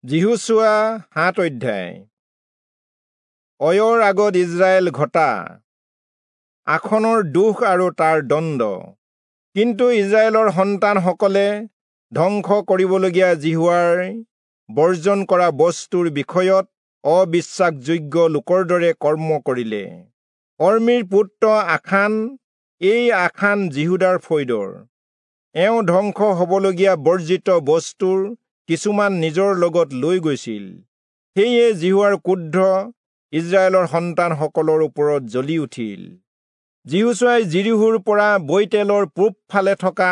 যিহোচূৱা 7 অধ্যায়। অয়ৰ আগত ইজৰাইল ঘটা আখনৰ দুখ আৰু তাৰ দণ্ড। কিন্তু ইজৰাইলৰ সন্তানসকলে ধ্বংস কৰিবলগীয়া যিহোৱাৰ বৰ্জন কৰা বস্তুৰ বিষয়ত অবিশ্বাসযোগ্য লোকৰ দৰে কৰ্ম কৰিলে। কৰ্মীৰ পুত্ৰ আখান, এই আখান যিহূদাৰ ফৈদৰ। এওঁ ধ্বংস হবলগীয়া বৰ্জিত বস্তুৰ কিছুমান নিজৰ লগত লৈ গৈছিল। সেয়ে যিহোৱাৰ ক্ৰোধ ইজৰাইলৰ সন্তানসকলৰ ওপৰত জ্বলি উঠিল। যিহোচূৱাই যিৰীহোৰ পৰা বৈতেলৰ পূবফালে থকা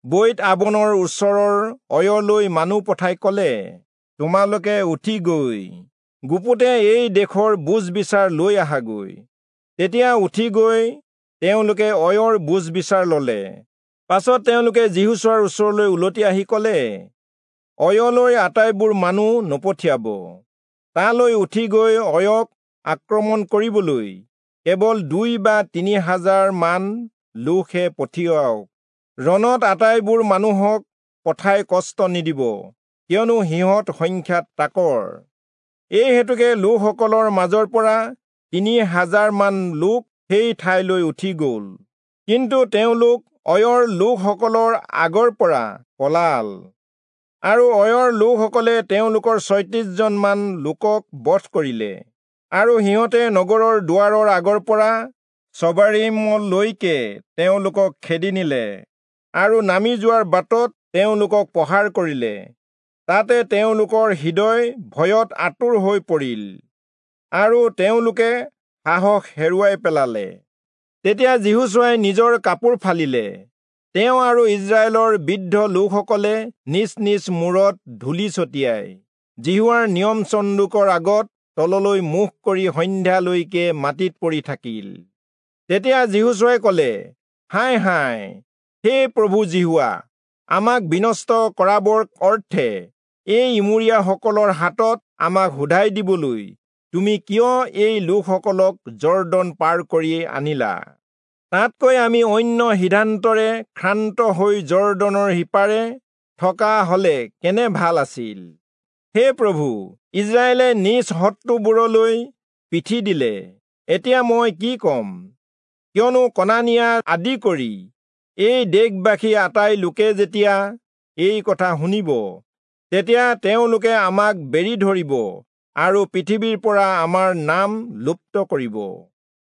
বৈত আবনৰ ওচৰৰ অয়লৈ মানুহ পঠাই কলে, তোমালোকে উঠি গৈ গুপুতে এই দেশৰ বুজ বিচাৰ লৈ আহাগৈ। তেতিয়া উঠি গৈ তেওঁলোকে অয়ৰ বুজ বিচাৰ ললে। পাছত তেওঁলোকে যিহোচূৱাৰ ওচৰলৈ উলটি আহি কলে, অয়লৈ আটাইবোৰ মানুহ নপঠিয়াব। তালৈ উঠি গৈ অয়ক আক্ৰমণ কৰিবলৈ কেৱল 2 বা 3 হাজাৰ মান লোকহে পঠিয়াওক। ৰণত আটাইবোৰ মানুহক পঠাই কষ্ট নিদিব, কিয়নো সিহঁত সংখ্যাত তাকৰ। এই হেতুকে লোকসকলৰ মাজৰ পৰা 3 হাজাৰ মান লোক সেই ঠাইলৈ উঠি গ'ল। কিন্তু তেওঁলোক অয়ৰ লোকসকলৰ আগৰ পৰা পলাল, আৰু অয়ৰ লোকসকলে তেওঁলোকৰ 36 জনমান লোকক বধ কৰিলে। আৰু সিহঁতে নগৰৰ দুৱাৰৰ আগৰ পৰা চবাৰীমলৈকে তেওঁলোকক খেদি নিলে, আৰু নামি যোৱাৰ বাটত তেওঁলোকক প্ৰহাৰ কৰিলে। তাতে তেওঁলোকৰ হৃদয় ভয়ত আতুৰ হৈ পৰিল, আৰু তেওঁলোকে সাহস হেৰুৱাই পেলালে। তেতিয়া যিহোচূৱাই নিজৰ কাপোৰ ফালিলে। তেওঁ আৰু ইজৰাইলৰ বৃদ্ধ লোকসকলে নিজ নিজ মূৰত ধূলি ছটিয়াই যিহোৱাৰ নিয়ম চন্দুকৰ আগত তললৈ মুখ কৰি সন্ধ্যালৈকে মাটিত পৰি থাকিল। তেতিয়া যিহোচূৱাই কলে, হায় হায়, হে প্ৰভু যিহোৱা, আমাক বিনষ্ট কৰাবৰ অৰ্থে এই ইমূৰীয়াসকলৰ হাতত আমাক সোধাই দিবলৈ তুমি কিয় এই লোকসকলক যৰ্দন পাৰ কৰি আনিলা? তাতকৈ আমি অন্য সিদ্ধান্তৰে ক্ষান্ত হৈ যৰ্দনৰ সিপাৰে থকা হলে কেনে ভাল আছিল। হে প্ৰভু, ইজৰাইলে নিজ শত্ৰুবোৰলৈ পিঠি দিলে। এতিয়া মই কি কম? কিয়নো কনানিয়া আদি কৰি এই দেশবাসী আটাই লোকে যেতিয়া এই কথা শুনিব, তেতিয়া তেওঁলোকে আমাক বেৰি ধৰিব আৰু পৃথিৱীৰ পৰা আমাৰ নাম লুপ্ত কৰিব।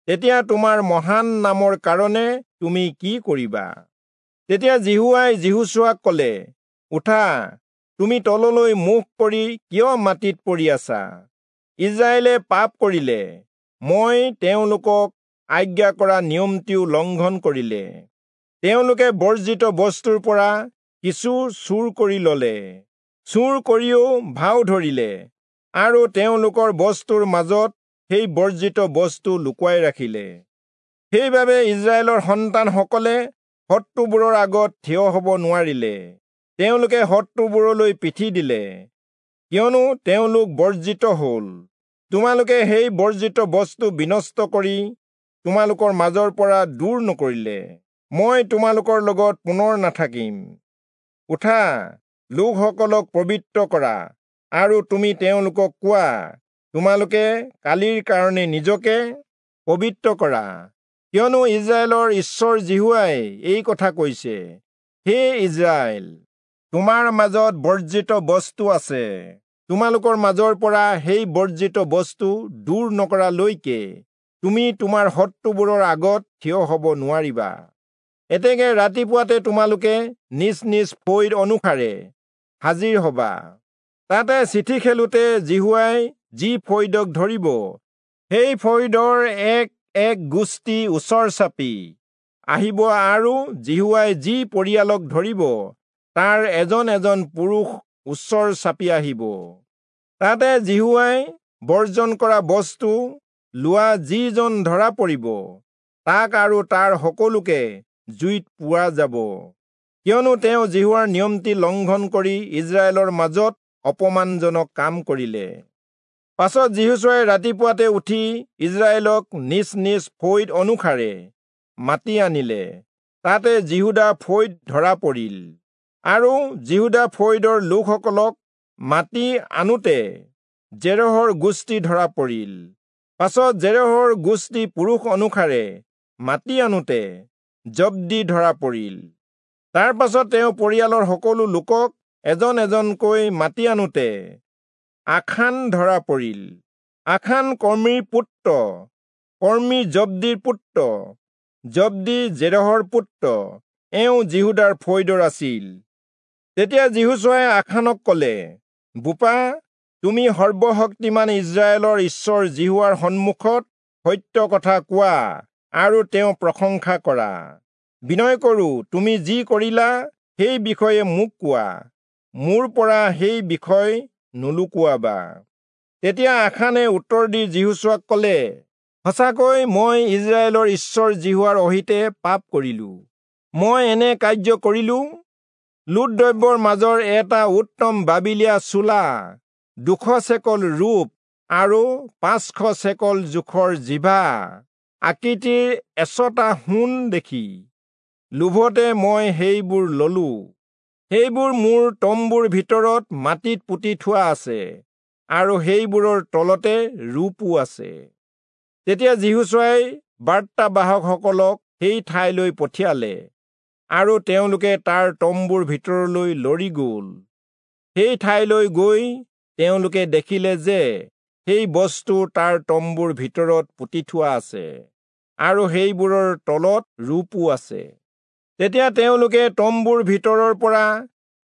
তেতিয়া তোমাৰ মহান নামৰ কাৰণে তুমি কি কৰিবা? তেতিয়া যিহোৱাই যিহোচূৱাক কলে, উঠা, তুমি তললৈ মুখ কৰি কিয় মাটিত পৰি আছা? ইজৰাইলে পাপ কৰিলে, মই তেওঁলোকক আজ্ঞা কৰা নিয়মটিও লংঘন কৰিলে। তেওঁলোকে বৰ্জিত বস্তুৰ পৰা কিছু চুৰ কৰি ললে, চুৰ কৰিও ভাও ধৰিলে, আৰু তেওঁলোকৰ বস্তুৰ মাজত সেই বৰ্জিত বস্তু লুকুৱাই ৰাখিলে। সেইবাবে ইজৰাইলৰ সন্তানসকলে শত্ৰুবোৰৰ আগত থিয় হব নোৱাৰিলে। তেওঁলোকে শত্ৰুবোৰলৈ পিঠি দিলে, কিয়নো তেওঁলোক বৰ্জিত হল। তোমালোকে সেই বৰ্জিত বস্তু বিনষ্ট কৰি তোমালোকৰ মাজৰ পৰা দূৰ নকৰিলে মই তোমালোকৰ লগত পুনৰ নাথাকিম। উঠা, লোকসকলক পবিত্ৰ কৰা, আৰু তুমি তেওঁলোকক কোৱা, তোমালোকে কালিৰ কাৰণে নিজকে পবিত্ৰ কৰা, কিয়নো ইজৰাইলৰ ঈশ্বৰ যিহোৱাই এই কথা কৈছে, হে ইজৰাইল, তোমাৰ মাজত বৰ্জিত বস্তু আছে। তোমালোকৰ মাজৰ পৰা সেই বৰ্জিত বস্তু দূৰ নকৰালৈকে তুমি তোমাৰ শত্ৰুবোৰৰ আগত থিয় হব নোৱাৰিবা। এতেকে ৰাতিপুৱাতে তোমালোকে নিজ নিজ ফৈদ অনুসাৰে হাজিৰ হবা। তাতে চিঠি খেলোতে যিহোৱাই যি ফৈদক ধৰিব, সেই ফৈদৰ এক এক গোষ্ঠী ওচৰ চাপি আহিব, আৰু যিহোৱাই যি পৰিয়ালক ধৰিব, তাৰ এজন এজন পুৰুষ ওচৰ চাপি আহিব। তাতে যিহোৱাই বৰ্জন কৰা বস্তু লোৱা যিজন ধৰা পৰিব, তাক আৰু তাৰ সকলোকে জুইত পোৱা যাব, কিয়নো তেওঁ যিহোৱাৰ নিয়মটি লংঘন কৰি ইজৰাইলৰ মাজত অপমানজনক কাম কৰিলে। পাছত যিহোচূৱাই ৰাতিপুৱাতে উঠি ইজৰাইলক নিজ নিজ ফৈদ অনুসাৰে মাতি আনিলে। তাতে যিহূদা ফৈদ ধৰা পৰিল, আৰু যিহূদা ফৈদৰ লোকসকলক মাতি আনোতে জেৰহৰ গোষ্ঠী ধৰা পৰিল। পাছত জেৰহৰ গোষ্ঠী পুৰুষ অনুসাৰে মাতি আনোতে জব্দি ধৰা পৰিল। তাৰ পাছত তেওঁ পৰিয়ালৰ সকলো লোকক এজন এজনকৈ মাতি আনোতে আখান ধৰা পৰিল। আখান কৰ্মীৰ পুত্ৰ, কৰ্মী জব্দিৰ পুত্ৰ, জব্দি জেৰহৰ পুত্ৰ, এওঁ যিহূদাৰ ফৈদৰ আছিল। তেতিয়া যিহোচূৱাই আখানক কলে, বোপা, তুমি সৰ্বশক্তিমান ইস্ৰায়েলৰ ঈশ্বৰ যিহোৱাৰ সন্মুখত সত্য কথা কোৱা আৰু তেওঁ প্ৰশংসা কৰা। বিনয় কৰো, তুমি যি কৰিলা সেই বিষয়ে মোক কোৱা, মোৰ পৰা সেই বিষয় নুলুকুৱাবা। তেতিয়া আখানে উত্তৰ দি যিহোচূৱাক কলে, সঁচাকৈ মই ইস্ৰায়েলৰ ঈশ্বৰ যিহোৱাৰ অহিতে পাপ কৰিলো। মই এনে কাৰ্য কৰিলো, লুট দ্ৰব্যৰ মাজৰ এটা উত্তম বাবিলীয়া চোলা, 200 চেকল ৰূপ আৰু 500 চেকল জোখৰ জিভা আকৃতিৰ এচটা সোণ দেখি লোভতে মই সেইবোৰ ললো। সেইবোৰ মোৰ তম্বুৰ ভিতৰত মাটিত পুতি থোৱা আছে আৰু সেইবোৰৰ তলতে ৰূপো আছে। তেতিয়া যিহোচূৱাই বাৰ্তাবাহকসকলক সেই ঠাইলৈ পঠিয়ালে আৰু তেওঁলোকে তাৰ তম্বুৰ ভিতৰলৈ লৰি গল। সেই ঠাইলৈ গৈ তেওঁলোকে দেখিলে যে সেই বস্তু তাৰ তম্বুৰ ভিতৰত পুতি থোৱা আছে আৰু সেইবোৰৰ তলত ৰূপো আছে। তেতিয়া তেওঁলোকে তম্বুৰ ভিতৰৰ পৰা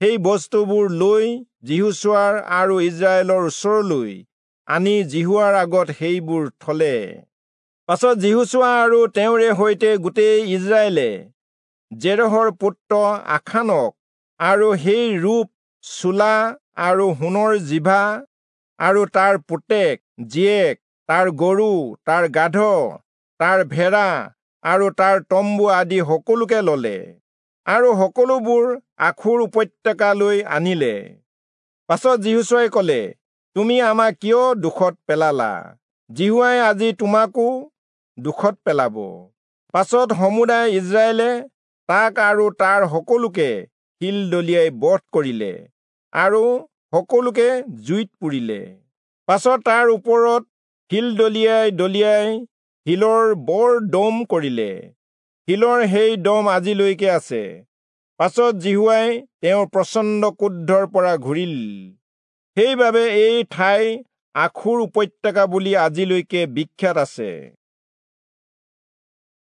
সেই বস্তুবোৰ লৈ যিহোচূৱাৰ আৰু ইস্ৰায়েলৰ ওচৰলৈ আনি যিহোৱাৰ আগত সেইবোৰ থলে। পাছত যিহোচূৱা আৰু তেওঁৰে সৈতে গোটেই ইস্ৰায়েলে জেৰহৰ পুত্ৰ আখানক আৰু সেই ৰূপ চোলা আৰু সোণৰ জিভা আৰু তাৰ পুতেক জীয়েক, তাৰ গৰু, তাৰ গাধ, তাৰ ভেড়া আৰু তাৰ তম্বু আদি সকলোকে ললে আৰু সকলোবোৰ আখোৰ উপত্যকালৈ আনিলে। পাছত যিহোচূৱাই কলে, তুমি আমাক কিয় দুখত পেলালা? যিহোৱাই আজি তোমাকো দুখত পেলাব। পাছত সমুদায় ইস্ৰায়েলে তাক আৰু তাৰ সকলোকে শিল দলিয়াই বধ কৰিলে আৰু সকলোকে জুইত পুৰিলে। পাছত তাৰ ওপৰত শিল দলিয়াই দলিয়াই শিলৰ বৰ দম কৰিলে। শিলৰ সেই দম আজিলৈকে আছে। পাছত যিহোৱাই তেওঁৰ প্ৰচণ্ড ক্ৰোধৰ পৰা ঘূৰিল। সেইবাবে এই ঠাই আখোৰ উপত্যকা বুলি আজিলৈকে বিখ্যাত আছে।